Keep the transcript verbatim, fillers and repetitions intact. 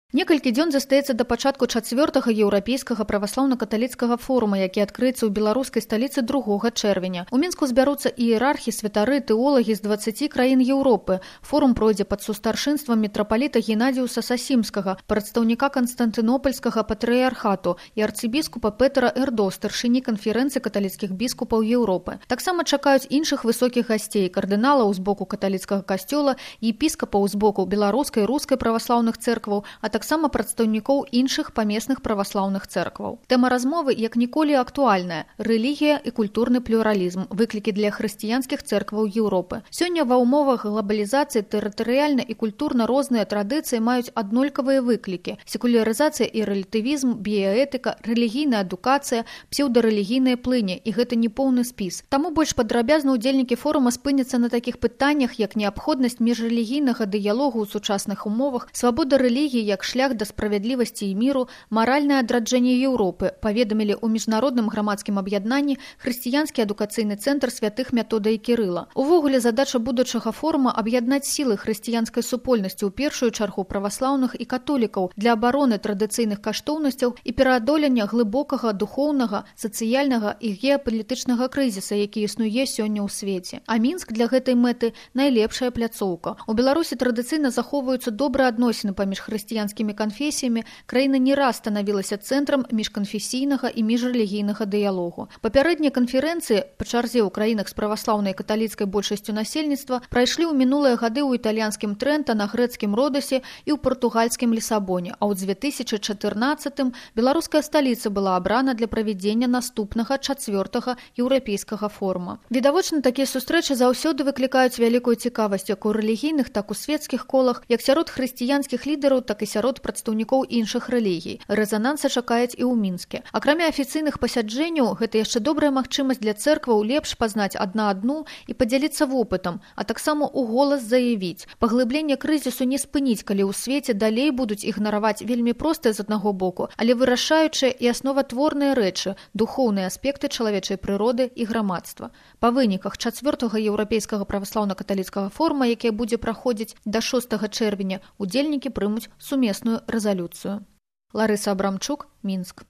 Некалькі дзён застаецца да пачатку чацвёртага еўрапейскага праваслаўна-каталіцкага форума, які адкрыецца ў беларускай сталіцы другога чэрвеня. У Мінску збяруцца іерархі, святары, тэолагі з дваццаці краін Еўропы. Форум пройдзе пад сустаршынствам мітрапаліта Геннадзіуса Сасімскага, прадстаўніка Канстантынопольскага патрыярхату і арцыбіскупа Петра Эрдо, старшыні канферэнцыі каталіцкіх біскупаў Еўропы. Таксама чакаюць іншых высокіх гасцей, кардыналаў з боку каталіцкага касцёла, епіскапаў з боку беларускай, рускай праваслаўных цэркваў, а таксама прадстаўнікоў іншых памесных праваслаўных цэркваў. Тэма размовы як ніколі актуальная – рэлігія і культурны плюралізм, выклікі для хрысціянскіх цэркваў Еўропы. Сёння ва ўмовах глабалізацыі тэрытарыяльна і культурна розныя традыцыі маюць аднолькавыя выклікі – секулярызацыя і рэлятывізм, біяэтыка, рэлігійная адукацыя, псеўдарэлігійныя плыні, і гэта не поўны спіс. Таму больш падрабязна ўдзельнікі форума спыняцца на такіх пытаннях, як неабходнасць міжрэлігійнага дыялогу ў сучасных умовах, свабода рэлігіі як шлях да справядлівасці і міру, маральнае адраджэнне Еўропы, паведамілі ў міжнародным грамадскім аб'яднанні хрысціянскі адукацыйны цэнтр святых Метода і Кірыла. Увогуле задача будучага форума аб'яднаць сілы хрысціянскай супольнасці, у першую чаргу праваслаўных і католікаў, для абароны традыцыйных каштоўнасцяў і пераадолення глыбокага духоўнага, сацыяльнага і геапалітычнага крызіса, які існуе сёння ў свеце. А Мінск для гэтай мэты найлепшая пляцоўка. У Беларусі традыцыйна захоўваюцца добрыя адносіны паміж хрысціянскімі канфесіямі, краіна не раз станавілася цэнтрам міжканфесійнага і міжрэлігійнага дыялогу. Папярэднія канферэнцыі па чарзе ў краінах з праваслаўнай і каталіцкай большасцю насельніцтва прайшлі ў мінулыя гады ў італьянскім Трэнта, на грэцкім Родасе і ў партугальскім Лісабоне, а ў дзве тысячы чатырнаццатым беларуская сталіца была абрана для правядзення наступнага чацвёртага еўрапейскага форума. Відавочна, такія сустрэчы заўсёды выклікаюць вялікую цікавасць як у рэлігійных, так у светскіх колах, як сярод хрысціянскіх лідараў, так і сярод прадстаўнікоў іншых рэлігій. Рэзананса чакаюць і ў Мінске. Акрамя афіцыйных пасяджэнняў, гэта яшчэ добрая магчымасць для цэркваў лепш пазнаць адна адну і падзяліцца вопытам, а таксама ў голас заявіць. Паглыбленне крызісу не спыніць, калі ў свеце далей будуць ігнараваць вельмі простыя з аднаго боку, але вырашаючыя і асноватворныя рэчы, духоўныя аспекты чалавечай прыроды і грамадства. Па выніках чацвёртага еўрапейскага праваслаўна-каталіцкага форума, які будзе праходзіць да шостага чэрвеня, удзельнікі прымуць сумесную рэзалюцыю. Ларыса Абрамчук, Мінск.